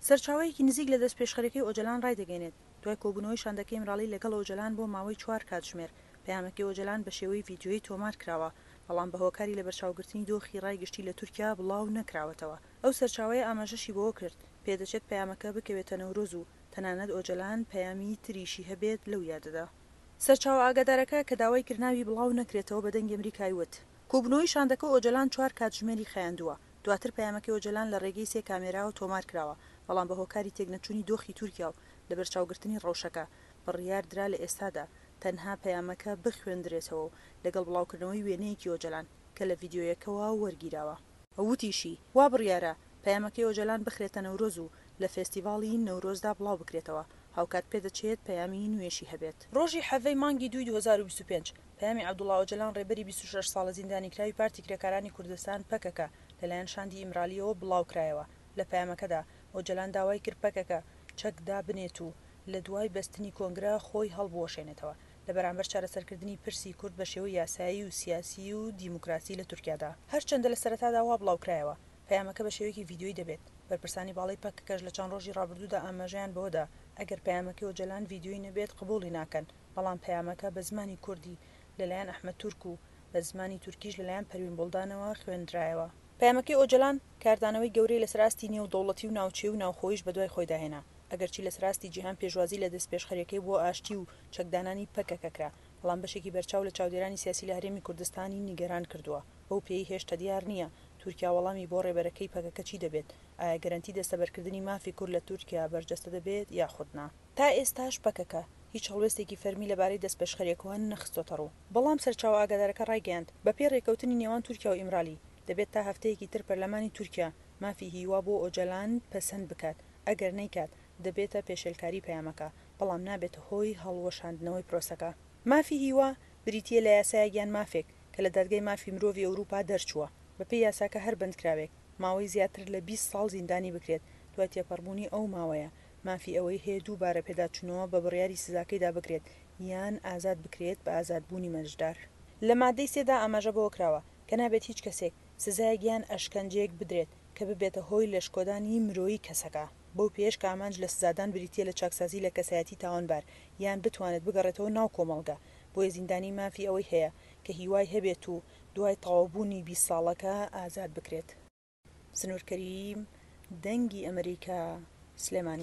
سەرچاوەیەکی نزیک لە دەستپێشخەریەکەی ئۆجەلان ڕایدەگەیەنێت، دوای کۆبوونەوەی شاندەکەی ئیمراڵی لەگەڵ ئۆجەلان بۆ ماوەی چوار کاتژمێر، پەیامەکەی ئۆجەلان بە شێوەی ڤیدیۆیی تۆمار کراوە، بەڵام بە هۆکاری لەبەرچاوگرتنی دۆخی ڕای گشتی لە تورکیا بڵاو نەکراوەتەوە. ئەو سەرچاوەیە ئاماژەشی بەوە کرد، پێدەچێت پەیامەکە بکەوێتە نەورۆز و تەنانەت ئۆجەلان پەیامی تریشی هەبێت لەو یادەدا. سەرچاوە ئاگادارەکە کە داوای کرد ناوی بڵاو نەکرێتەوە بە دەنگی ئەمریکای وت، کۆبوونەوەی شاندەکە ئۆجەلان چوار کاتژمێری خایاندووە، دواتر پەیامەکەی ئۆجەلان لە رێگەی سێ کامێراوە تۆمار کراوە، بەڵام بە هۆکاری تێکنەچوونی دۆخی تورکیا و لەبەرچاوگرتنی رەوشەکە، بڕیار درا لە ئێستادا تەنها پەیامەکە بخوێندرێتەوە و لەگەڵ بڵاوکردنەوەی وێنەیەکی ئۆجەلان کە لە ڤیدیۆیەکەوە وەرگیراوە. وتیشی، وا بڕیارە پەیامەکەی ئۆجەلان بخرێتە نەورۆز و لە فێستیڤاڵی نەورۆزدا بڵاو بکرێتەوە، هاوکات پێدەچێت پەیامی نوێشی هەبێت. رۆژی حەڤەی مانگی دووی 2025، پەیامی عەبدوڵا ئۆجەلان ڕێبەری 26 ساڵە زیندانیکراوی پارتی کرێکارانی کوردستان، پەکەکە، لەلایەن شاندی ئیمرالییەوە بڵاوکرایەوە. لە پەیامەکەدا ئۆجەلان داوای کرد پەکەکە چەک دابنێت و لە دوای بەستنی کۆنگرە خۆی هەڵبوەشێنێتەوە لە بەرامبەر چارەسەرکردنی پرسی کورد بە شێوەی یاسایی و سیاسی و دیموکراسی لە تورکیادا. هەرچەندە لە سەرەتادا وا بڵاوکرایەوە پەیامەکە بە شێوەیەکی ڤیدیۆیی دەبێت، بەرپرسانی باڵای پەکەکەش لە چەند ڕۆژی ڕابردوودا ئاماژەیان بەوەدا ئەگەر پەیامەکەی ئۆجەلان ڤیدیۆیی نەبێت قبوڵی ناکەن، بەڵام پەیامەکە بە زمانی کوردی لەلایەن ئەحمەد تورک و بە زمانی تورکیش لەلایەن پەروین بوڵدانەوە خوێندرایەوە. پەیامەکەی ئۆجەلان کاردانەوەی گەورەی لەسەر ئاستی نێودەوڵەتی و ناوچەیی و ناوخۆییش بەدوای خۆیدا هێنا، ئەگەرچی لەسەر ئاستی جیهان پێشوازی لە دەستپێشخەرییەکەی بۆ ئاشتی و چەکدانانی پەکەکە کرا، بەڵام بەشێکی بەرچاو لە چاودێرانی سیاسی لە هەرێمی کوردستانی نیگەران کردووە، بەو پێیەی هێشتا دیار نییە تورکیا وەڵامی بۆ ڕێبەرەکەی پەکەکە چی دەبێت، ئایا گەرەنتی دەستەبەرکردنی مافی کورد لە تورکیا بەرجەستە دەبێت یاخود نا؟ تا ئێستاش پەکەکە هیچ هەڵوێستێکی فەرمی لەبارەی دەستپێشخەرییەکەوە نەخستۆتەڕوو، بەڵام سەرچاوە ئاگادارەکە ڕایگەیاند، بەپێی ڕێککەوتنی نێوان تورکیا و ئیمرالی، دەبێت تا هەفتەیەکی تر پەرلەمانی تورکیا مافی هیوا بۆ ئۆجەلان پەسەند بکات، ئەگەر نەیکات دەبێتە پێشێلکاری پەیامەکە، بەڵام نابێتە هۆی هەڵوەشاندنەوەی پرۆسەکە. مافی هیوا بریتییە لە یاسایەک یان مافێک کە لە دادگای مافی مرۆڤی ئەوروپا دەرچووە، بەپێی یاساکە هەر بەندکراوێک ماوەی زیاتر لە 20 ساڵ زیندانی بکرێت، دوای تێپەڕبوونی ئەو ماوەیە مافی ئەوەی هەیە دووبارە پێداچوونەوە بە بڕیاری سزاکەیدا بکرێت یان ئازاد بکرێت بە ئازادبوونی مەرجدار. لە مادەی سێ دا ئاماژە بەوە کراوە کە نابێت هیچ کەسێک سزایەک یان ئەشکەنجەیەک بدرێت کە ببێتە هۆی لەشکۆدانی مرۆیی کەسەکە، بەو پێیەش کە ئامانج لە سزادان بریتییە لە چاکسازی لە کەسایەتی تاوانبار یان بتوانێت بگەڕێتەوە ناو کۆمەڵگە، بۆیە زیندانی مافی ئەوەی هەیە کە هیوای هەبێت و دوای تەواوبوونی 20 ساڵەکە ئازاد بکرێت. سنوور کەریم، دەنگی ئەمریکا، سلێمانی.